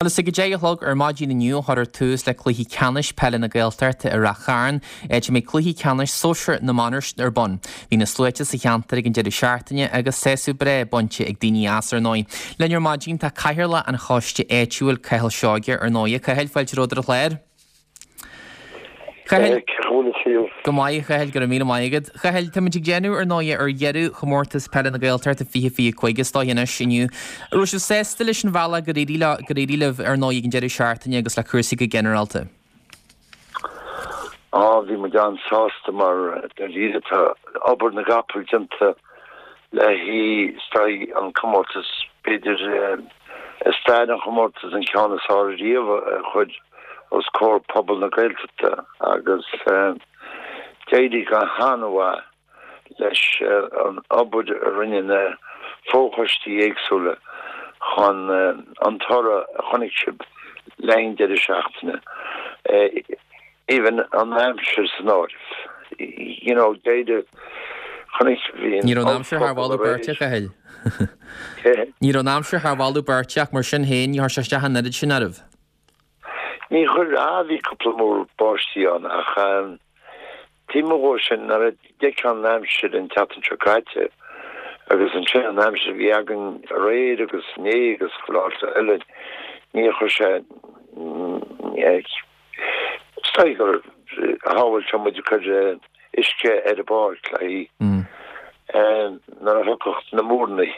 Bhuel, is ag 10 a chlog ar maidin inniu a chuirfear tús le Cluichí Ceannais Peile na Gaeltachta i Rath Chairn, áit a mbeidh Cluiche Ceannais Sóisir na mBan ar bun. Bhí na sluaite sa cheantar ag an deireadh seachtaine agus sásamh breá bainte ag daoine as, ar ndóigh. Linn ar maidin tá Cathaoirleach an Choiste Áitiúil, Cathal Seoige, ar ndóigh. A Chathail, fáilte romhat ar an chlár. Chathail, Go maith, a Chathail, go raibh míle maith agat. Chathail, táimid ag déanamh, ar ndóigh, ar dheireadh chomórtas peile na Gaeltachta 2025 is dóigh anois inniu. An raibh sibh sásta leis an bhealach gur éirigh leo, gur éirigh libh, ar ndóigh, ag an deireadh seachtaine agus le cúrsaí go ginearálta? Á, bhí muid an-sásta mar dáiríre tá obair na gcapall déanta le haghaidh is dóigh an comórtas, b'fhéidir i stair an chomórtais an ceann is fearr riamh a chur os comhair pobal na Gaeltachta agus d'éirigh go han-mhaith leis an obair a rinne na fochoistí éagsúla chun an toradh a chonaic sibh le haghaidh an deireadh seachtaine, even an aimsir san áireamh. You know, d'éirigh, chonaic, bhí an Ní raibh an aimsir thar mholadh beirte, a Chathail. Ní raibh an aimsir thar mholadh beirte ach mar sin féin ní chuir sé isteach an oiread sin oraibh. Ní chuir, ah bhí cúpla múr báistí ann ach taobh amuigh dhó sin nuair a d'fheicfeá an aimsir an tseachtain seo caite agus ansin an aimsir a bhí againn aréir agus inné agus chuile áit eile ní chuir sé is dóigh gur shábháil sé muid ag cur uisce ar an bpáirc le haghaidh nuair a thiocfadh na múrnaí.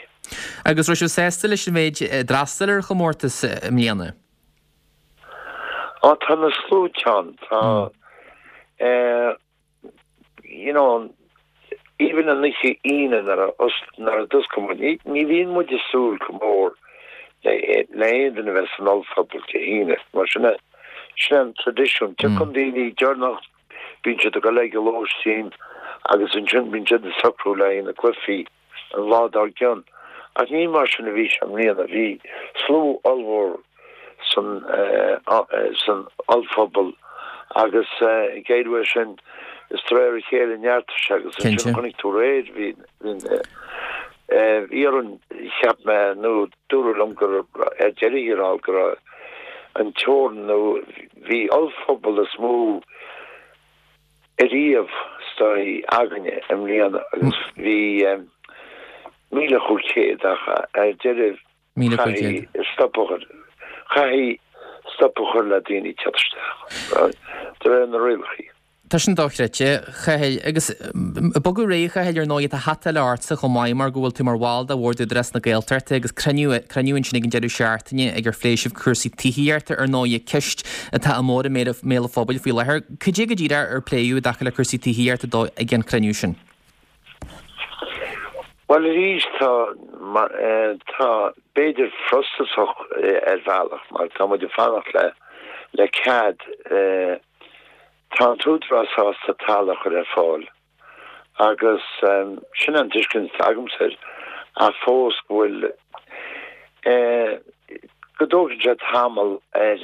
Agus raibh sibh sásta leis an mhéid a d'fhreastail ar an chomórtas i mbliana? Á, tá na sluaite ann, tá, eh, you know, even an oíche Aoine nuair a, nuair a d'oscail muid, ní, ní bhíonn muid ag súil go mór le, le aon duine a bheith san ollphuball Dé hAoine, mar sin é, sin é an traidisiún. Tiocfaidh daoine deireanach, bíonn siad ag dul ag an lóistín agus ansin bíonn siad ag socrú le haghaidh na cluichí. an lá dár gcionn. Ach ní mar sin a bhí sé i mbliana. Bhí slua ollmhór san san ollphuball agus ag éirí uaidh sin is de réir a chéile neartaigh sé agus ansin chonaic tú aréir bhí bhí orainn cheap mé nó dúradh liom gur ar deireadh thiar thall go raibh an teorainn nó bhí ollphuball is mó ariamh is dóigh againne i mbliana agus bhí 1,500 ach ar deireadh chaithfí stop a chur, chaithfí stop a chur le daoine teacht isteach de réir na rialacha. Tá sin dochreidte, a Chathail. Agus ag bogadh ar aghaidh, a Chathail, ar ndóigh, tá hata eile ortsa chomh maith mar go bhfuil tú mar bhall de Bhord Údarás na Gaeltachta agus cruinniú, cruinniú ansin ag an deireadh seachtaine ag ar phléigh sibh cúrsaí tithíochta, ar ndóigh, ceist atá go mór i mbéal an phobail faoi láthair. Cad é go díreach ar pléadh i dtaca le cúrsaí tithíochta dó ag an chruinniú sin? Bhuel arís tá, tá b'fhéidir frustrachas ar bhealach mar tá muid ag fanacht le le cead. Tá an tÚdarás sásta talamh a chur ar fáil agus sin an tuiscint atá agamsa air ach fós go bhfuil go dtógann sé tamall ar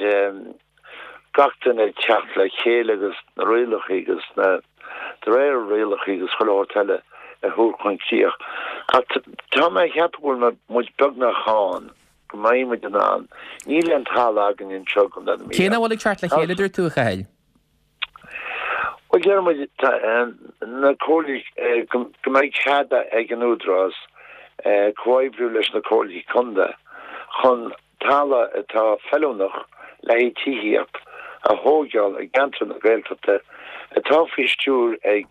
gach duine teacht le chéile agus na rialacha agus na de réir rialacha agus chuile shórt eile a thabhairt chun críoch. Ach tá mé ag ceapadh go bhfuil muid beagnach ann, go mbeidh muid in ann. Níl aon talamh againn anseo i gContae na Mí. Cé nach bhfuil ag teacht le chéile, dúirt tú, a Chathail? Bhuel, deir muid, na comhairlí, go mbeidh cead ag an Údarás comhoibriú leis na comhairlí contae chun talamh atá feiliúnach le haghaidh tithíocht a thóigeáil i gceantar na Gaeltachta atá faoi stiúir ag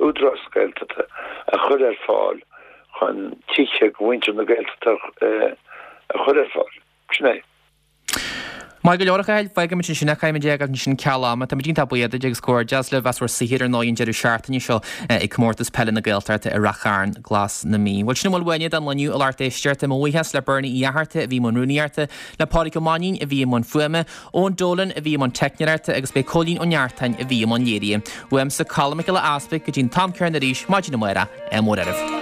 Údarás na Gaeltachta a chur ar fáil chun tithe do mhuintir na Gaeltachta a chur ar fáil. Sin é. Maith go leor, a Chathail. Fágfaimid ansin é. Caithfimid é a fhágáil ansin ceal ama. Táimid iontach buíoch duit agus comhghairdeas libh as bhur saothar ar ndóigh an deireadh seachtaine seo ag Comórtas Peile na Gaeltachta i Rath Chairn, Glas na Mí. Bhuel, sin a bhfuil uainne don lá inniu, a lucht éisteachta. Mo bhuíochas le Bernie Uí Fhatharta a bhí i mbun rúnaíochta, le Pádraig Ó Mainnín a bhí i mbun fuaime, Eoin Dolan a bhí i mbun teicneoireachta agus b'é Cóilín Ó Neartáin a bhí i mbun léirithe. Uaimse, Colm Mac Giolla Easpaig, go dtí an t-am céanna arís, maidin amárach, ádh mór oraibh.